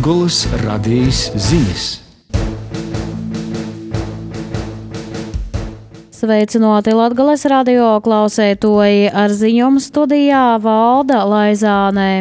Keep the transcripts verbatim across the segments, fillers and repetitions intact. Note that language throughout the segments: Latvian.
Latgolas radijas ziņas. Sveicināti Latgolas radio klausētoji, ar ziņojumu studijā Valda Laizānē.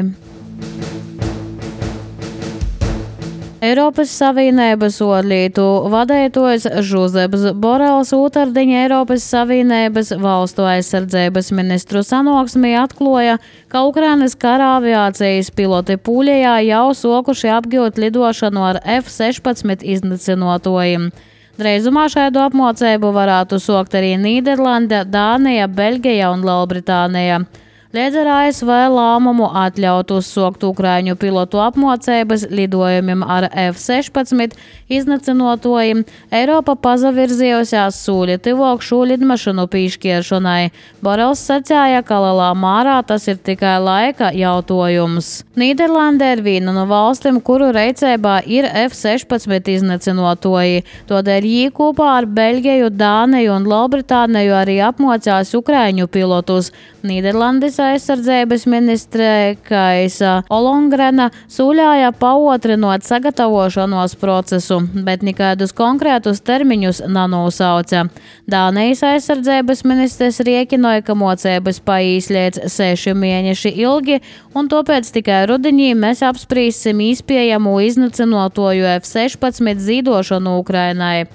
Eiropas Savienības orlītu vadētojs Žuzeps Borels otrdiņa Eiropas Savienības valstu aizsardzības ministru sanāksmē atklāja, ka Ukrainas kara aviācijas piloti Pūļajā jau sokuši apgūt lidošanu ar F sešpadsmit iznīcinātojiem. Dreizumā šādu apmācību varētu sokt arī Nīderlande, Dānija, Beļģija un Lielbritānija. Līdz ar A S V lēmumu atļaut uzsokt Ukraiņu pilotu apmācības lidojumiem ar F sešpadsmit iznīcinātojiem, Eiropa pazavirzījusās sūļi tuvāk šo lidmašīnu pīšķiršanai. Borels sacīja, ka lielā mērā tas ir tikai laika jautājums. Nīderlande ir viena no valstīm, kuru rīcībā ir F sešpadsmit iznīcinātoji. Tādēļ viņi kopā ar Beļģiju, Dāniju un Lielbritāniju arī apmācās Ukraiņu pilotus. Nīderlandes aizsardzības ministre Kaisa Olongrena sūļāja paotrinot sagatavošanos procesu, bet nekādus konkrētus termiņus nenosauca. Dānijas aizsardzības ministrs riekinoja, ka mocības paīs līdz seši mēneši ilgi, un tāpēc tikai rudenī mēs apsprīsim izpiejamu iznīcinātoju F sešpadsmit zīdošanu Ukrainai.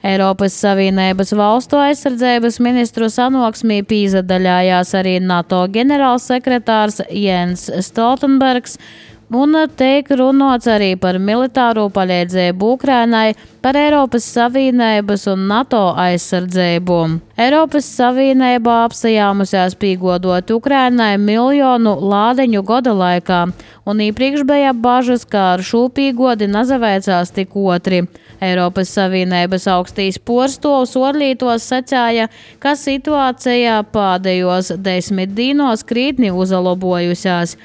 Eiropas Savienības valstu aizsardzības ministru sanāksmē pīzadaļājās arī NATO ģenerālsekretārs Jens Stoltenbergs, un tiek runāts arī par militāro palīdzību Ukrainai, par Eiropas Savienības un NATO aizsardzību. Eiropas Savienībā apsajāmusies pīgodot Ukrainai miljonu lādeņu gada laikā, un iepriekš bija bažas, ka ar šo pīgodi nazavēcās tik otri. Eiropas Savienības augstīs porstovs orlītos sacīja, ka situācija pēdējos desmit dīnos krītni uzlabojusies.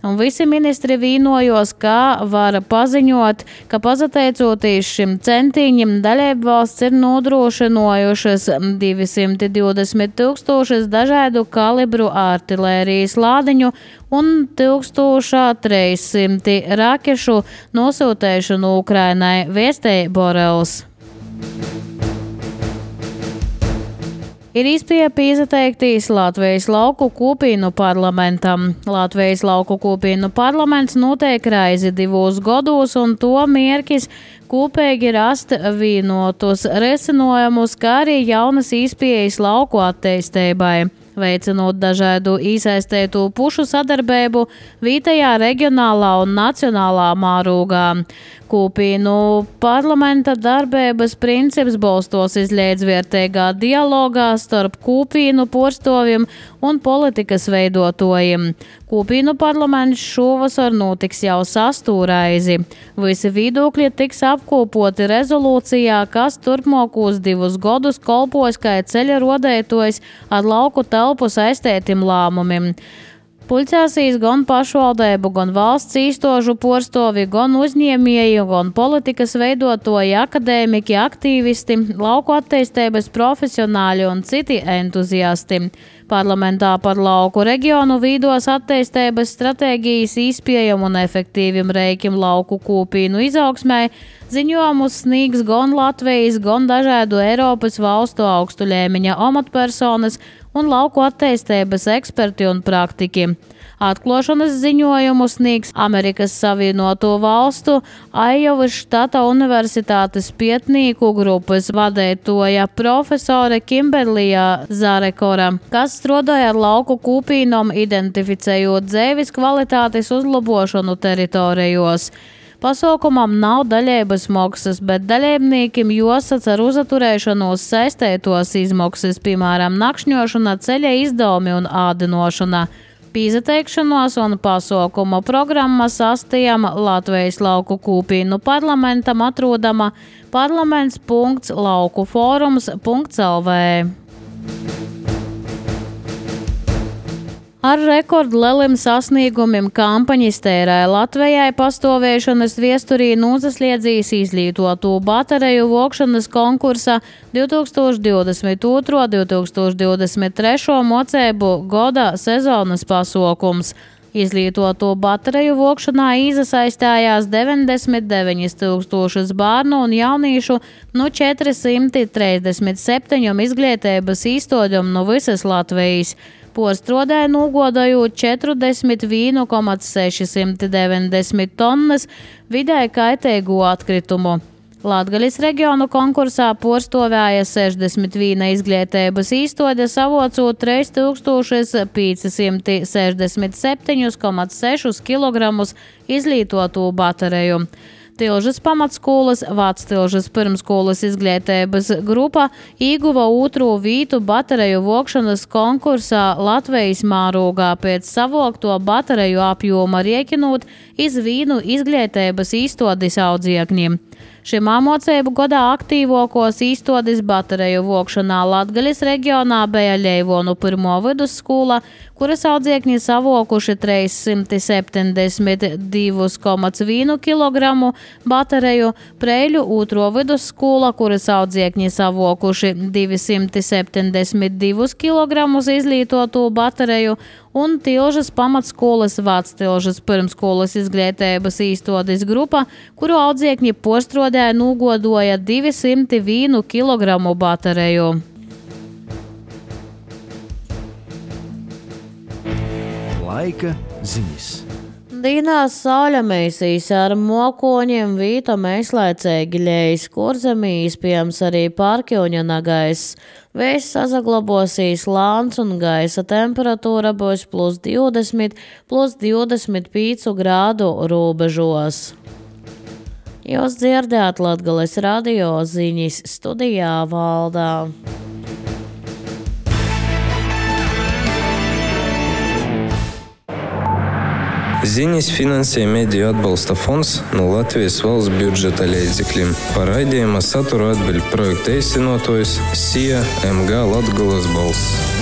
Un visi ministri vīnojos, ka var paziņot, ka pateicoties šim centiņam dalību valsts ir nodrošinājušas divsimt divdesmit tūkstošus dažādu kalibru artilērijas lādiņu un tūkstoš trīs simti rakešu nosūtēšanu Ukrainai, vēstīja Borels. Ir iespēja pīzateiktīs Latvijas lauku kopīnu parlamentam. Latvijas lauku kopīnu parlaments notiek reizi divos gados, un to mērķis kopīgi rast vienotus risinājumus, kā arī jaunas iespējas lauku attīstībai, veicinot dažādu iesaistītu pušu sadarbību vietējā, reģionālā un nacionālā mārūgā. Kopīnu parlamenta darbības princips balstos iz līdzvērtīgā dialogā starp kopīnu porstoviem un politikas veidotojiem. Kopīnu parlaments šovasar notiks jau sasto reizi. Visi viedokļi tiks apkopoti rezolūcijā, kas turpmākos divus gadus kolpos kā ceļa rodētojs ar lauku telpu saistētiem lēmumiem. Pulcēsīs gan pašvaldību, gan valsts īstožu porstovi, gan uzņēmēji, gan politikas veidotoji, akadēmiki, aktīvisti, lauku attīstības profesionāļi un citi entuziasti. Parlamentā par lauku reģionu vīdos attīstības stratēģijas izpiejamu un efektīvim reikim lauku kopīnu izaugsmai ziņojumus sniegs gan Latvijas, gan dažādu Eiropas valstu augstu līmeņa amatpersonas un lauku attīstības eksperti un praktiķi. Atklāšanas ziņojumu sniegs Amerikas Savienoto Valstu Aiovas štata universitātes pētnieku grupas vadētoja profesore Kimberlija Zarekora, kas strādāja ar lauku kopīnom, identificējot dzīves kvalitātes uzlabošanu teritorijos. Pasaukumam nav daļēbas maksas, bet dalībniekiem jāsac ar uzaturēšanos saistētos izmaksas, piemēram, nakšņošana, ceļa izdevumi un ādinošana. Pīzateikšanos un pasaukuma programma sastajam Latvijas lauku kopīnu parlamentam atrodama parlaments punkts laukuforums punkts L V. Ar rekordleliem sasniegumiem kampaņas tērē Latvijai pastāvēšanas viesturī nūzasliedzīs izglītotu batereju vokšanas konkursa divtūkstoš divdesmit otro - divtūkstoš divdesmit trešo mocēbu goda sezonas pasaukums. Izlietoto bateriju vokšanā iesaistījās deviņdesmit deviņi tūkstoši bērnu un jauniešu no četri simti trīsdesmit septiņi izglītības īstoņiem no visas Latvijas. Postrodē nogodojot četrdesmit viens komats seši deviņdesmit tonnas vidēji kaitīgu atkritumu. Latgaļas reģionu konkursā postovēja sešdesmit viena izglītības īstoņa, savocot trīs tūkstoši pieci simti sešdesmit septiņi komats seši kilogramus izlietotu bateriju. Tilžas pamatskolas Vectilžas pirmskolas izglītības grupa ieguva otro vītu batereju vokšanas konkursā Latvijas mārogā pēc savokto batereju apjoma riekinot iz vīnu izglītības īstodis audziekņiem. Šim māmocību godā aktīvākos īstodis batereju vokšanā Latgaļas reģionā bija Ļeivonu pirmo vidusskola, kuras audziekņi savokuši trīs simti septiņdesmit divi komats viens kilogramu batereju, Preiļu otro vidusskola, kuras audziekņi savokuši divi simti septiņdesmit divi kilogramus izlietotu batereju, un Tilžas pamatskolas Vectilžas pirmskolas izglītības īstodis grupa, kuru audziekņi postrodē nogodoja divi simti vienu kilogramu batereju. Laika ziņas. Dīnās sauļamēsīs ar mokoņiem vīta mēslaicēgi ļejas, kur zemī izpējams arī pārkļuņa nagais. Vējs sazaglabosīs lāns un gaisa temperatūra būs plus divdesmit, plus divdesmit pieci grādu robežos. Jūs dzirdēt Latgales radio ziņas, studijā Valdā. Ziņas finansē Mediju atbalsta fonds no Latvijas valsts budžeta līdzekļiem. Par raidījuma saturu atbild projekta īstenotājs S I A M G Latgales balss.